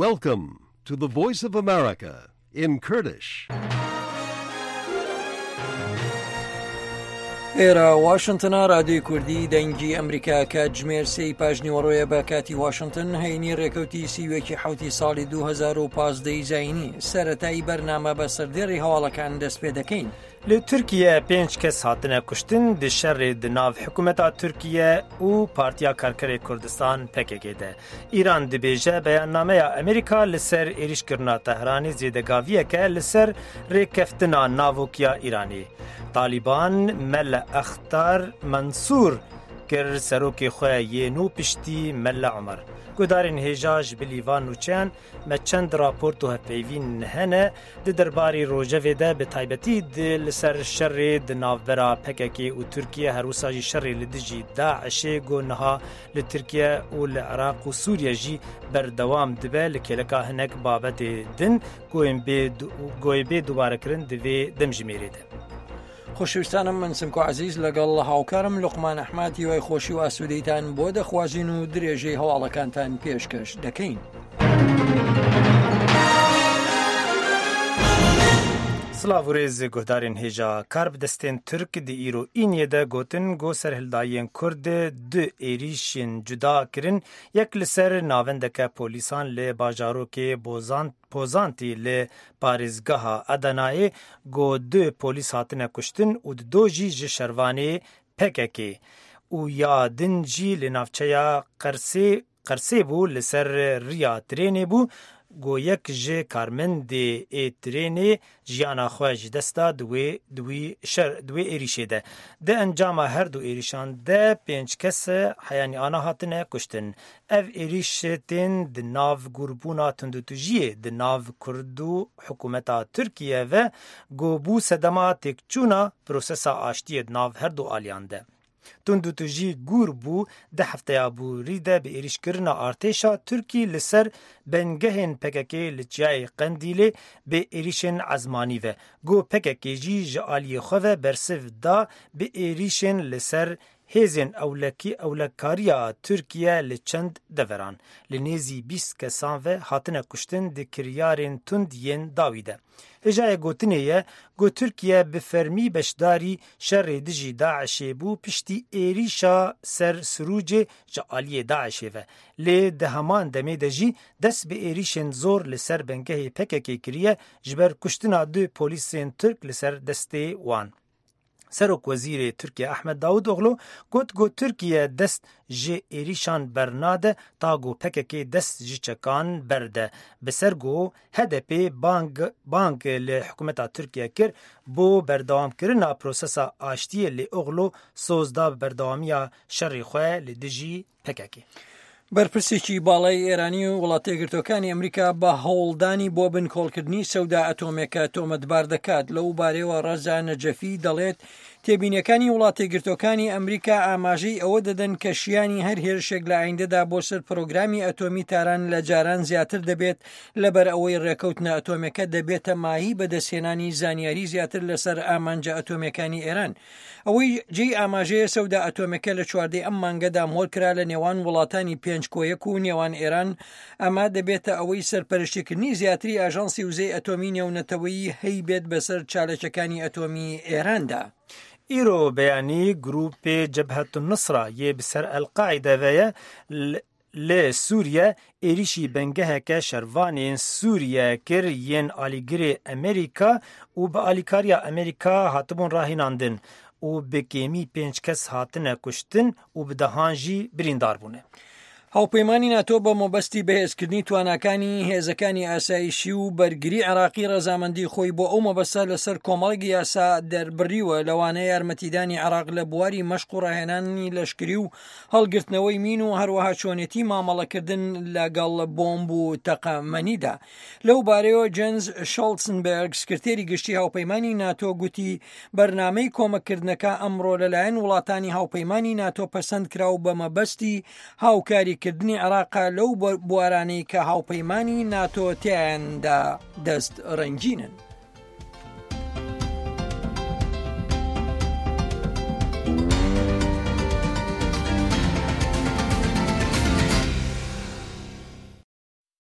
Welcome to the Voice of America in Kurdish. ئێرە واشنتنا رادیۆی کوردی دەنگی ئەمریکا کاتژمێر سێی پاژنیوەڕۆیە بە کاتی واشنتن هەینی ڕێکەوتی سیوەکی حوتی ساڵی 2015 زینی سەتایی بەرنامە بە سەردێڕی هەواڵەکان دەست پێ دەکەین. Li Tirkiye pênc kes hatine kuştin di şerê di nav hikûmeta Tirkiye û Partiya Karkerê Kurdistan PKK de. Îran dibêje beyannameya Amerîka li ser êrîşkirina Tehranê zêdegaviyeke li ser rêkeftina navokiya Îranê. Talîban Mele Extar Mensûr kir serokê xwe yê nû piştî Mele Omer. Guhdarên hêja ji bilî van nûçeyan me çend raport û hevpeyvîn hene di derbarî rojevê de bi taybetî di li ser şerê di navbera PKK û Tirkiye her wisa jî şerê li dijî DAIŞê ku niha li Tirkiye û li Iraq û Sûriye jî berdewam dibe li kêleka hinek babetê din ku ên bê goyê bê dubarekirin di vê demjimêrê de. خۆشەویستانم من سمکۆ عەزیز لەگەڵ هاوکارم لوقمان ئەحمەد هیوای خۆشی و ئاسوودەیتان بۆ دەخوازین و درێژەی هەواڵەکانتان پێشکەش دەکەین. Silav û rêz guhdarên hêja karbidestên Tirk di îro îniyê de gotin ku serhildayiyên Kurd du êrîşên cuda kirin yek li ser navendeke polîsan li bajarokê Bozan Pozantî li parêzgeha Edenayê ku du polîs hatine kuştin û di do jî ji şervanê pkk û ya din jî li navçeya Qersê Qersê bû li ser riya trênê bû ku yek ji karmendê ê trênê jiyana xwe ji dest da di wê di wî şer di wê êrîşê de. Di encama her du êrîşan de pênc kes heyanî ana hatine kuştin. Ev êrîş tên di nav gûrbûna tundûtûjiyê di nav Kurd û hikûmeta Tirkiye ve ku bû sedema têkçûna prosesa aştiyê di nav her du aliyan de. Tundûtûjî gûr bû di hefteya borî de bi êrîşkirina artêşa Tirkî li ser bengehên pkk li Çiyayê Qendîlê bi êrîşên ezmanî ve ku pkk jî ji aliyê xwe ve bersiv da bi êrîşên li ser hêzên ewlekî ewlekariya Tirkiye li çend deveran li nêzî 20 kesan ve hatine kuştin di kiryarên tund yên dawî de. Hêjayê gotinê ye ku Tirkiye bi fermî beşdarî şerê dijî DAIŞê bû piştî êrîşa ser Sirûcê ji aliyê DAIŞê ve. Lê di heman demê de jî dest bi êrîşên zor li ser bengehê PKK kiriye ji ber kuştina du polîsên Tirk li ser destê wan. Serokwezîrê Tirkiye Ahmed Davutoglu got ku Tirkiye dest ji êrîşan bernade ta ku PKK dest ji çekan berde. Bi ser ku HDP bang bang li hikûmeta Tirkiye kir bo berdewamkirina prosesa aştiyê lê Oglu soz da bi berdewamiya şerê xwe li dijî PKK. بەرپرسێکی باڵای ئێرانی و وڵاتەیەکگرتووەکانی ئەمریکا بە هەوڵدانی بۆ بنکۆڵکردنی سەودا ئەتۆمێکە تۆمەتبار دەکات لەو بارەیەوە ڕەزا نەجەفی دەڵێت تێبینیەکانی وڵاتەیەکگرتووەکانی ئەمریکا ئاماژەی ئەوە دەدەن کە شیانی هەر هێرشێک لە ئایندەدا بۆ سەر پرۆگرامی ئەتۆمی تاران لە جاران زیاتر دەبێت لەبەر ئەوەی ڕێکەوتنە ئەتۆمەکە دەبێتە ماهی بەدەستهێنانی زانیاری زیاتر لەسەر ئامانجە ئەتۆمیەکانی ئێران ئەوەی جێی ئاماژەیە سەودا ئەتۆمەکە لە چواردەی ئەم مانگەدا مۆر کرا لە نێوان وڵاتانی پێنج کۆیەک و نێوان ئێران ئەمە دەبێتە ئەوەی سەرپەرشتیکردنی زیاتری ئاژانسی وزەی ئەتۆمی نێونەتەوەیی هەیبێت بەسەر چالەکەکانی ئەتۆمی ئێراندا. Îro beyanî grûpê Cebhetunnusra yê bi ser El-Qaîde ve ye Li Sûriye êrîşî bingeheke şervanên Sûriye kir yên alîgirê Amerîka û bi alîkariya Amerîka hatibûn rahînandin û bi kêmî pênc kes hatine kuştin û bi dehan jî birîndar bûne. هاوپەیمانی ناتۆ بە مەبەستی بەهێزکردنی تواناکانی هێزەکانی ئاسایشی و بەرگری عێراقی ڕەزامەندی خۆی بۆ ئەو مەبەستە لەسەر کۆمەڵێک یاسا دەربڕیوە لەوانە یارمەتیدانی عێراق لە بواری مەشق و ڕاهێنانی لەشکری و هەڵگرتنەوەی مین و هەروەها چۆنێتی مامەڵەکردن لەگەڵ بۆمب و تەقەمەنیدا. لەو بارەیەوە جێنز شۆڵتسنبێرگ سکرتێری گشتی هاوپەیمانی ناتۆ گوتی بەرنامەی کۆمەککردنەکە ئەمڕۆ لەلایەن وڵاتانی هاوپەیمانی ناتۆ پەسەند کرا و بە مەبەستی هاوکاریکردنی عێراقە لەو بوارانەی کە هاوپەیمانی ناتۆ تیایاندا دەست ڕەنگینن.